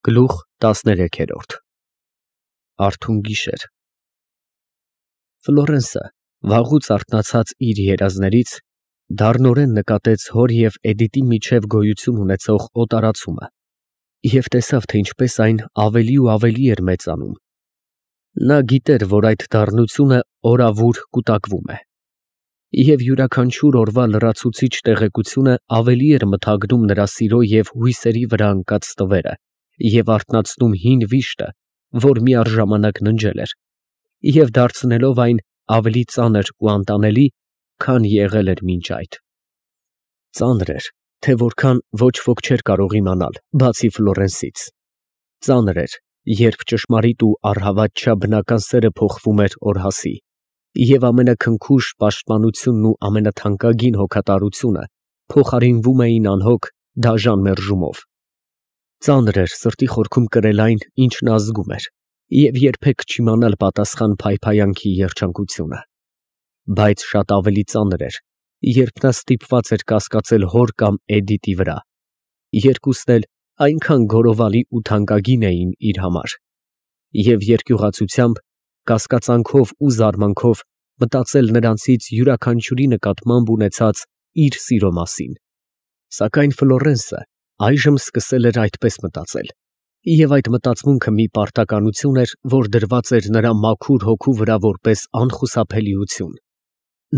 Գլուխ 13 Արթուն գիշեր Ֆլորենսը վաղուց արթնացած իր երազներից դառնորեն նկատեց հոր և Էդիտի միջև գոյություն ունեցող օտարացումը և տեսավ, թե ինչպես այն ավելի ու ավելի էր մեծանում։ Նա գիտեր, որ այդ դառնությունը օրավուր կուտակվում է, և յուրաքանչյուր օրվա լրացուցիչ տեղեկությունը ավելի էր մթագնում նրա սիրո և հույսերի վրա ընկած ստվերը և արթնացնում հին վիշտը, որ միառժամանակ ննջել էր, և դարձնելով այն ավելի ծանր ու անտանելի, քան եղել էր մինչ այդ։ Ծանր էր, թե որքան ոչ ոք չէր կարող իմանալ, բացի Ֆլորենսից։ Ծանր էր, երբ ճշմարիտ ու առհավատ չափ բնական սերը փոխվում էր օրհասի, և ամենաքնքուշ պաշտպանությունն ու ամենաթանկագին հոգատարությունը փոխարինվում էին անհոգ, դաժան մերժումով։ Ծանր էր սրտի խորքում կրել այն, ինչ նա զգում էր, և երբեք չիմանալ պատասխան փայփայանքի երջանկությունը։ Բայց շատ ավելի ծանր էր, երբ նա ստիպված էր կասկածել հոր կամ Էդիտի վրա։ Երկուսն էլ այնքան գոռովալի ու թանկագին էին իր համար, և երկյուղացությամբ, կասկածանքով ու զարմանքով մտածել նրանցից յուրաքանչյուրի նկատմամբ ունեցած իր սիրո մասին։ Սակայն Ֆլորենսը այժմ սկսել էր այդպես մտածել, և այդ մտածմունքը մի պարտականություն էր, որ դրված էր նրա մաքուր հոգու վրա որպես անխուսափելիություն։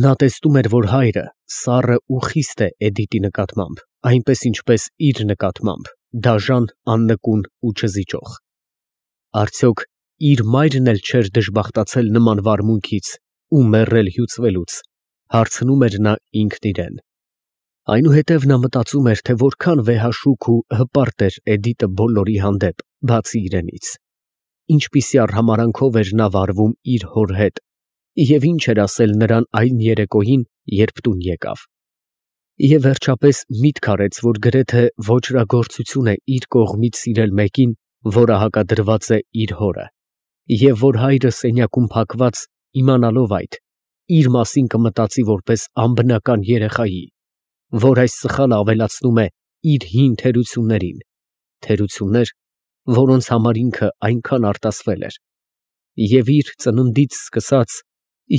Նա տեսնում էր, որ հայրը սառը ու խիստ է Էդիտի նկատմամբ, այնպես ինչպես իր նկատմամբ, դաժան, աննկուն ու չզիջող։ Արդյոք իր մայրն էլ չէր դժբախտացել նման վարմունքից ու մեռել հյուծվելուց, հարցնում էր նա ինքն իրեն։ Այնուհետև նա մտածում էր, թե որքան վեհաշուք ու հպարտ էր Էդիտը բոլորի հանդեպ, բացի իրենից, ինչպիսի արհամարհանքով էր նա վարվում իր հոր հետ, և ինչ էր ասել նրան այն երեկոյին, երբ տուն եկավ։ Եվ վերջապես միտք արեց, որ գրեթե ոճրագործություն է իր կողմից սիրել մեկին, որը հակադրված է իր հորը, և որ հայրը սենյակում փակված, իմանալով այդ, իր մասին կմտածի որպես անբնական երեխայի, որ այս սխալը ավելացնում է իր հին թերություններին, թերություններ, որոնց համար ինքը այնքան արտասվել էր, և իր ծննդից սկսած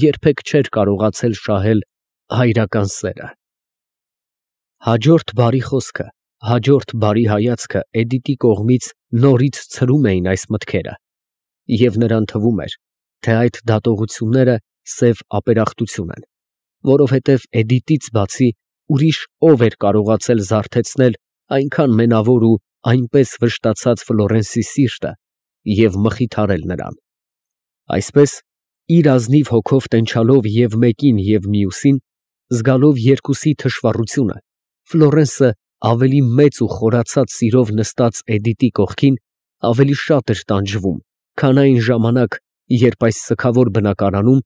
երբեք չէր կարողացել շահել հայրական սերը։ Հաջորդ բարի խոսքը, հաջորդ բարի հայացքը Էդիտի կողմից նորից ցրում էին այս մտքերը, և նրան թվում էր, թե այդ դատողությունները սև ապերախտություն են, որովհետև Էդիտից բացի ուրիշ ով էր կարողացել զարթեցնել այնքան մենավոր ու այնպես վշտացած Ֆլորենսի սիրտը և մխիթարել նրան։ Այսպես, իր ազնիվ հոգով տենչալով և մեկին և մյուսին, զգալով երկուսի թշվառությունը, Ֆլորենսը ավելի մեծ ու խորացած սիրով նստած Էդիտի կողքին, ավելի շատ էր տանջվում, քան այն ժամանակ, երբ այս սգավոր բնակարանում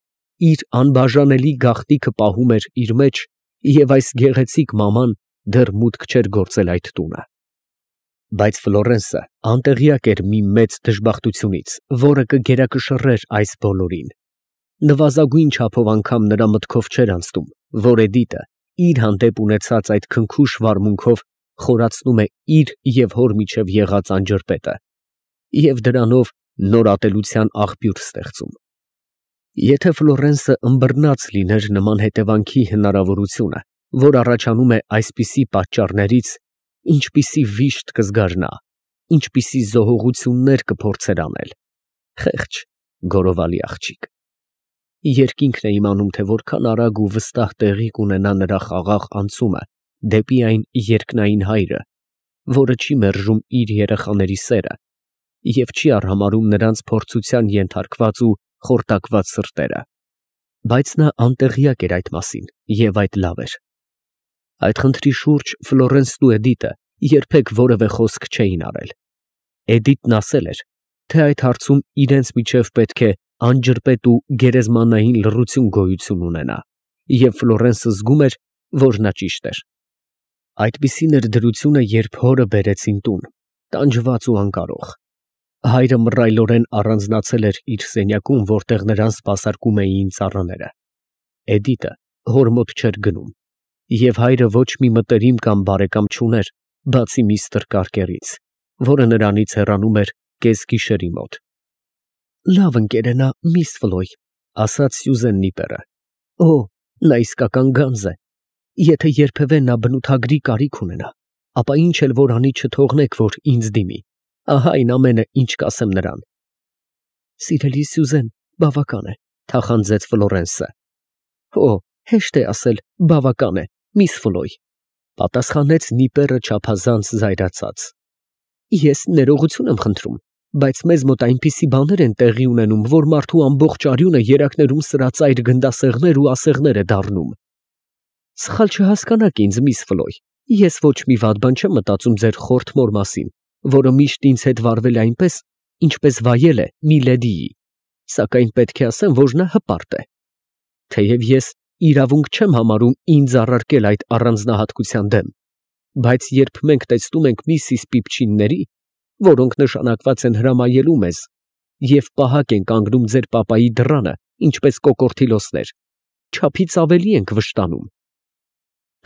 իր անբաժանելի գաղտնիքը պահում էր իր մեջ, և այս գեղեցիկ մաման դեռ մուտք չէր գործել այդ տունը։ Բայց Ֆլորենսը անտեղյակ էր մի մեծ դժբախտությունից, որը կգերակշռեր այս բոլորին։ Նվազագույն չափով անգամ նրա մտքով չէր անցնում, որ Էդիտը իր հանդեպ ունեցած այդ քնքուշ վարմունքով խորացնում է իր և հոր միջև եղած անջրպետը և դրանով նոր ատելության աղբյուր ստեղծում։ Եթե Ֆլորենսը ըմբռնած լիներ նման հետևանքի հնարավորությունը, որ առաջանում է այսպիսի պատճառներից, ինչպիսի վիշտ կզգար նա, ինչպիսի զոհողություններ կփորձեր անել։ Խեղճ, գոռովալի աղջիկ։ Երկինքն է իմանում, թե որքան արագ ու վստահ տեղի կունենա նրա խաղաղ անցումը դեպի այն երկնային Հայրը, որը չի մերժում իր երեխաների սերը և չի արհամարհում նրանց փորձության ենթարկված ու խորտակված սրտերը։ Բայց նա անտեղյակ էր այդ մասին, և այդ լավ էր։ Այդ խնդրի շուրջ Ֆլորենսն ու Էդիտը երբեք որևէ խոսք չէին արել։ Էդիտն ասել էր, թե այդ հարցում իրենց միջև պետք է անջրպետ ու գերեզմանային լռություն գոյություն ունենա, և Ֆլորենսը զգում էր, որ նա ճիշտ էր։ Այդպիսին էր դրությունը, երբ հորը բերեցին տուն, տանջված ու անկարող։ Հայրը մռայլորեն առանձնացել էր իր սենյակում, որտեղ նրան սպասարկում էին ծառաները։ Էդիտը հոր մոտ չէր գնում, և հայրը ոչ մի մտերիմ կամ բարեկամ չուներ, բացի միստր Կարկերից, որը նրանից հեռանում էր կեսգիշերի մոտ։ Լավ ընկեր է նա, միս Ֆլոյ, ասաց Սյուզեն Նիպերը։ Օ, նա իսկական գանձ է։ Եթե երբևէ նա բնութագրի կարիք ունենա, ապա ինչ էլ որ անի չթողնեք, որ ինձ դիմի։ Ահա այն ամենը, ինչ կասեմ նրան։ Սիրելի Սյուզեն, բավական է, թախանձեց Ֆլորենսը։ Օ, հեշտ է ասել, բավական է, միս Ֆլոյ, պատասխանեց Նիպերը չափազանց զայրացած։ Ես ներողություն եմ խնդրում, բայց մեզ մոտ այնպիսի բաներ են տեղի ունենում, որ մարդու ամբողջ արյունը երակներում սրածայր գնդասեղներ ու ասեղներ է դառնում։ Սխալ չհասկանաք ինձ, միս Ֆլոյ, ես ոչ մի վատ բան չեմ մտածում ձեր խորթ մոր մասին, որը միշտ ինձ հետ վարվել է այնպես, ինչպես վայել է մի լեդիի, սակայն պետք է ասեմ, որ նա հպարտ է։ Թեև ես իրավունք չեմ համարում ինձ առարկել այդ առանձնահատկության դեմ, բայց երբ մենք տեսնում ենք Միսիս Պիպչինների, որոնք նշանակված են հրամայելու մեզ, և պահակ են կանգնում ձեր պապայի դռանը, ինչպես կոկորդիլոսներ, չափից ավելի ենք վշտանում։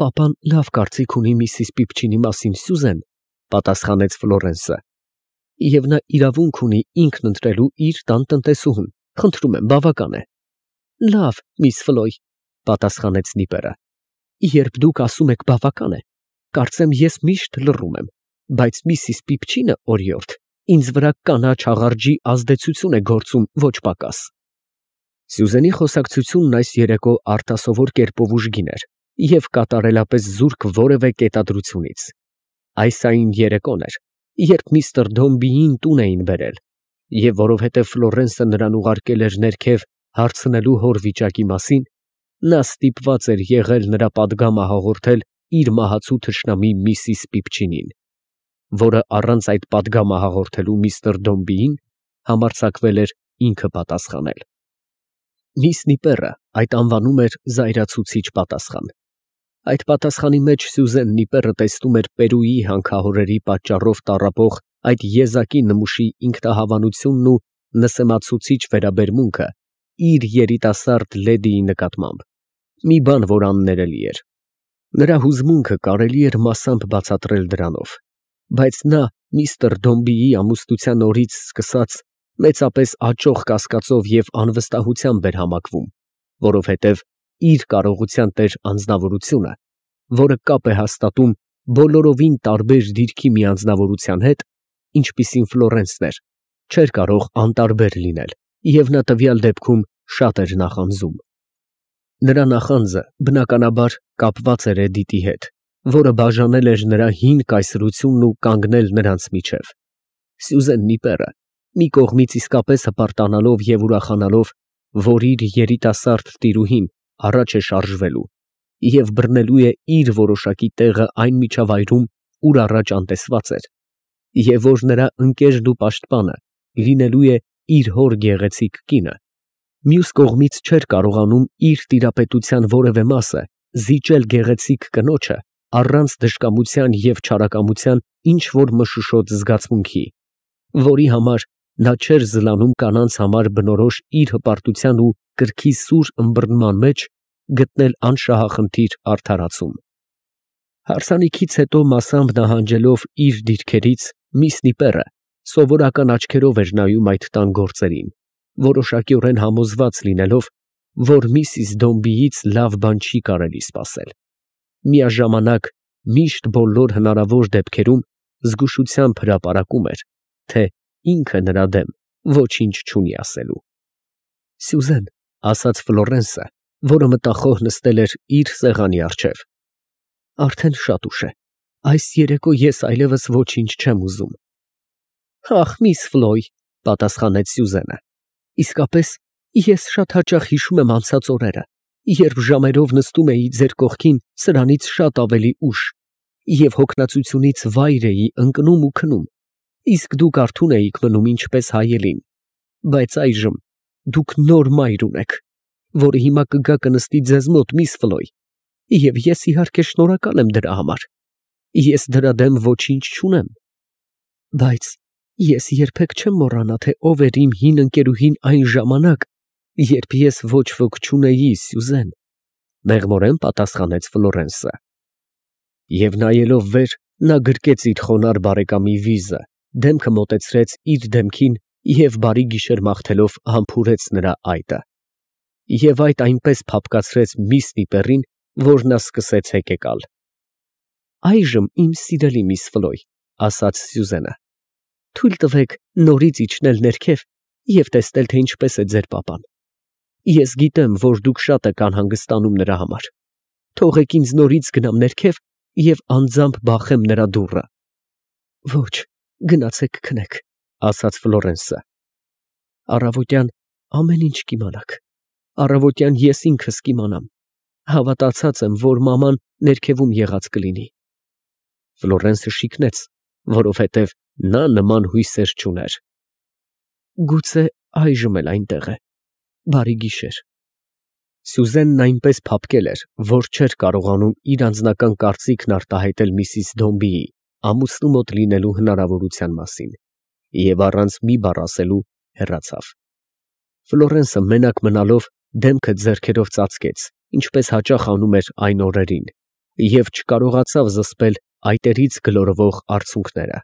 Պապան լավ կարծիք ունի Միսիս Պիպչինի մասին, Սյուզեն, պատասխանեց Ֆլորենսը, և նա իրավունք ունի ինքն ընտրելու իր տան տնտեսուհուն, խնդրում եմ, բավական է։ Լավ, միս Ֆլոյ, պատասխանեց Նիպերը, երբ դուք ասում եք բավական է, կարծեմ ես միշտ լռում եմ, բայց Միսիս Պիպչինը օրիորդ ինձ վրա կանաչ աղարջի ազդեցություն է գործում ոչ պակաս։ Սյուզենի խոսակցությունն այս երեկո արտասովոր կերպով ուժգին էր և կատարելապես զուրկ որևէ կետադրությունից։ Այս այն երեկոն էր, երբ միստր Դոմբիին տուն էին բերել, և որովհետև Ֆլորենսը նրան ուղարկել էր ներքև հարցնելու հոր վիճակի մասին, նա ստիպված էր եղել նրա պատգամը հաղորդել իր մահացու թշնամի Միսիս Պիպչինին, որը առանց այդ պատգամը հաղորդելու միստր Դոմբիին համարձակվել էր ինքը պատասխանել։ Միս Նիպերը այդ անվանում էր զայրացուցիչ պատասխան։ Այդ պատասխանի մեջ Սյուզեն Նիպերը տեսնում էր Պերուի հանքահորերի պատճառով տառապող այդ եզակի նմուշի ինքնահավանությունն ու նսեմացուցիչ վերաբերմունքը իր երիտասարդ լեդիի նկատմամբ, մի բան, որ աններելի էր։ Նրա հուզմունքը կարելի էր մասամբ բացատրել դրանով, բայց նա միստր Դոմբիի ամուսնության օրից սկսած մեծապես աճող կասկածով և անվստահությամբ էր համակվում, որովհետև իր կարողության տեր անձնավորությունը, որը կապ է հաստատում բոլորովին տարբեր դիրքի մի անձնավորության հետ, ինչպիսին Ֆլորենսն էր, չէր կարող անտարբեր լինել, և նա տվյալ դեպքում շատ էր նախանձում։ Նրա նախանձը բնականաբար կապված էր Էդիտի հետ, որը բաժանել էր նրա հին կայսրությունն ու կանգնել նրանց միջև։ Սյուզեն Նիպերը մի կողմից իսկապես հպարտանալով և ուրախանալով, որ իր երիտասարդ տիրուհին առաջ է շարժվելու և բռնելու է իր որոշակի տեղը այն միջավայրում, ուր առաջ անտեսված էր, և որ նրա ընկերն ու պաշտպանը լինելու է իր հոր գեղեցիկ կինը, մյուս կողմից չէր կարողանում իր տիրապետության որևէ մասը զիջել գեղեցիկ կնոջը առանց դժկամության և չարակամության ինչ-որ մշուշոտ զգացմունքի, որի համար նա չէր զլանում կանանց համար բնորոշ իր հպարտության ու կրքի սուր ըմբռնման մեջ գտնել անշահախնդիր արդարացում։ Հարսանիքից հետո մասամբ նահանջելով իր դիրքերից, միս Նիպերը սովորական աչքերով էր նայում այդ տան գործերին, որոշակիորեն համոզված լինելով, որ Միսիս Դոմբիից լավ բան չի կարելի սպասել։ Միաժամանակ միշտ բոլոր հնարավոր դեպքերում զգուշությամբ հրապարակում էր, թե ինքը նրա դեմ ոչինչ չունի ասելու։ Սյուզեն, ասաց Ֆլորենսը, որը մտախոհ նստել էր իր սեղանի առջև, արդեն շատ ուշ է, այս երեկո ես այլևս ոչինչ չեմ ուզում։ Ախ, միս Ֆլոյ, պատասխանեց Սյուզենը, իսկապես ես շատ հաճախ հիշում եմ անցած օրերը, երբ ժամերով նստում էի ձեր կողքին սրանից շատ ավելի ուշ և հոգնածությունից վայր էի ընկնում ու քնում, իսկ դուք արթուն էիք մնում ինչպես հայելին, բայց այժմ դուք նոր մայր ունեք, որը հիմա կգա կնստի ձեզ մոտ, միս Ֆլոյ, և ես իհարկե շնորհակալ եմ դրա համար, ես դրա դեմ ոչինչ չունեմ, բայց ես երբեք չեմ մոռանա, թե ով էր իմ հին ընկերուհին այն ժամանակ, երբ ես ոչ ոք չունեի, Սյուզեն, մեղմորեն պատասխանեց Ֆլորենսը։ Եվ նայելով վեր, նա գրկեց իր խոնարհ բարեկամի վիզը, դեմքը մոտեցրեց իր դեմքին և բարի գիշեր մաղթելով համբուրեց նրա այտը։ Եվ այդ այնպես փափկացրեց միս Նիպեռին, որ նա սկսեց հեկեկալ։ «Այժմ, իմ սիրելի միս Ֆլոյ, ֊ ասաց Սյուզենը, ֊ թույլ տվեք նորից իջնել ներքև և տեսնել, թե ինչպես է ձեր պապան։ Ես գիտեմ, որ դուք շատ եք անհանգստանում նրա համար. թողեք ինձ նորից գնամ ներքև և անձամբ բախեմ նրա դուռը»։ «Ոչ, գնացեք քնեք, ֊ ասաց Ֆլորենսը։ Առավոտյան ամեն ինչ կիմանաք, առավոտյան ես ինքս կիմանամ, հավատացած եմ, որ մաման ներքևում եղած կլինի։ Ֆլորենսը շիկնեց, որովհետև նա նման հույսեր չուներ։ Գուցե այժմ էլ այնտեղ է։ Բարի գիշեր։ Սյուզենն այնպես փափկել էր, որ չէր կարողանում իր անձնական կարծիքն արտահայտել միսիս Դոմբիի ամուսնու մոտ լինելու հնարավորության մասին, և առանց մի բառ ասելու հեռացավ։ Ֆլորենսը մենակ մնալով դեմքը ձեռքերով ծածկեց, ինչպես հաճախ անում էր այն օրերին, և չկարողացավ զսպել այտերից գլորվող արցունքները։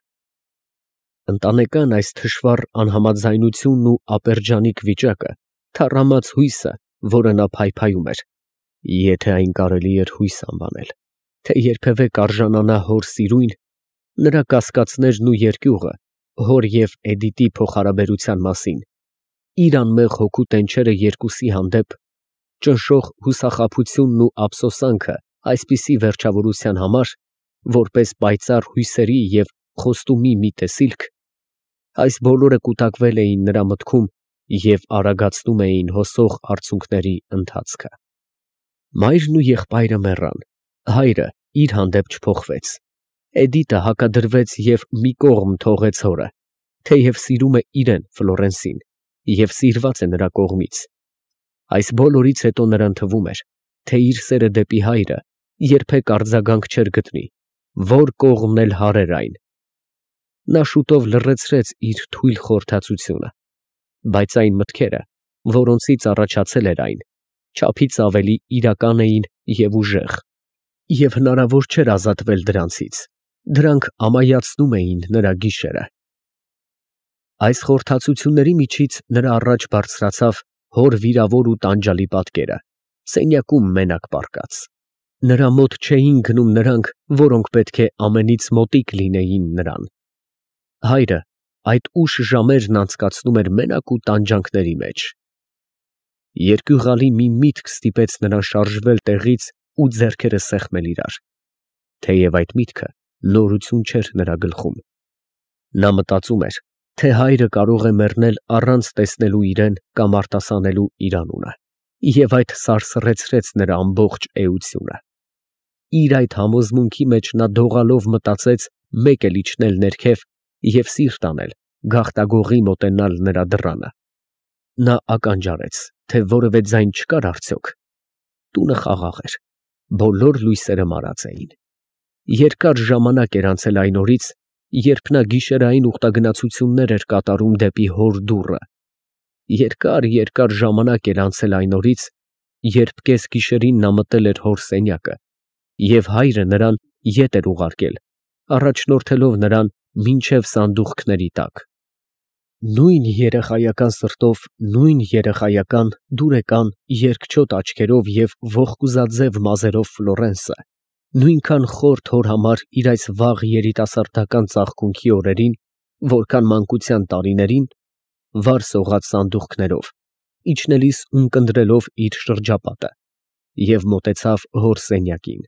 Ընտանեկան այս թշվառ անհամաձայնությունն ու ապերջանիկ վիճակը թառամած հույսը, որը նա փայփայում էր, եթե այն կարելի էր հույս անվանել, թե երբևէ կարժանանա հոր սիրույն, նրա կասկածներն ու երկյուղը հոր և Էդիտի փոխհարաբերության մասին, իր անմեղ հոգու տենչերը երկուսի հանդեպ, ճնշող հուսախաբությունն ու ափսոսանքը այսպիսի վերջավորության համար, որպես պայծառ հույսերի և խոստումի մի տեսիլք, այս բոլորը կուտակվել էին նրա մտքում և արագացնում էին հոսող արցունքների ընթացքը։ Մայրն ու եղբայրը մեռան, հայրը իր հանդեպ չփոխվեց, Էդիտը հակադրվեց և մի կողմ թողեց հորը, թեև սիրում է իրեն Ֆլորենսին և սիրված է նրա կողմից։ Այս բոլորից հետո նրան թվում էր, թե իր սերը դեպի հայրը երբեք արձագանք չէր գտնի, որ կողմն էլ հարեր այն։ Նա շուտով լռեցրեց իր թույլ խորհրդածությունը, բայց այն մտքերը, որոնցից առաջացել էր այն, չափից ավելի իրական էին և ուժեղ, և հնարավոր չէր ազատվել դրանցից, դրանք ամայացնում էին նրա գիշերը։ Այս խորհրդածությունների միջից նրա առաջ բարձրացավ հոր վիրավոր ու տանջալի պատկերը, սենյակում մենակ պառկած։ Նրա մոտ չէին գնում նրանք, որոնք պետք է ամենից մոտիկ լինեին նրան։ Հայրը այդ ուշ ժամերն անցկացնում էր մենակ ու տանջանքների մեջ։ Երկյուղալի մի միտք ստիպեց նրան շարժվել տեղից ու ձեռքերը սեղմել իրար, թեև այդ միտքը նորություն չէր նրա գլխում։ Նա մտածում էր, թե հայրը կարող է մեռնել առանց տեսնելու իրեն կամ արտասանելու իր անունը, և այդ սարսռեցրեց նրա ամբողջ էությունը։ Իր այդ համոզմունքի մեջ նա դողալով մտածեց մեկ էլ իջնել ներքև և սիրտ անել, գաղտագողի մոտենալ նրա դռանը։ Նա ականջ արեց, թե որևէ ձայն չկար արդյոք։ Տունը խաղաղ էր, բոլոր լույսերը մարած էին։ Երկար ժամանակ էր անցել այն օրից, երբ նա գիշերային ուխտագնացություններ էր կատարում դեպի հոր դուռը։ Երկար ժամանակ էր անցել այն օրից, երբ կեսգիշերին նա մտել էր հոր սենյակը, և հայրը նրան ետ էր ուղարկել, առաջնորդելով նրան մինչև սանդուղքների տակ։ Նույն երեխայական սրտով, նույն երեխայական, դուրեկան, երկչոտ աչքերով և ողկուզաձև մազերով Ֆլորենսը նույնքան խորթ հոր համար իր այս վաղ երիտասարդական ծաղկունքի օրերին, որքան մանկության տարիներին, վար սողաց սանդուղքներով, իջնելիս ունկնդրելով իր շրջապատը, և մոտեցավ հոր սենյակին։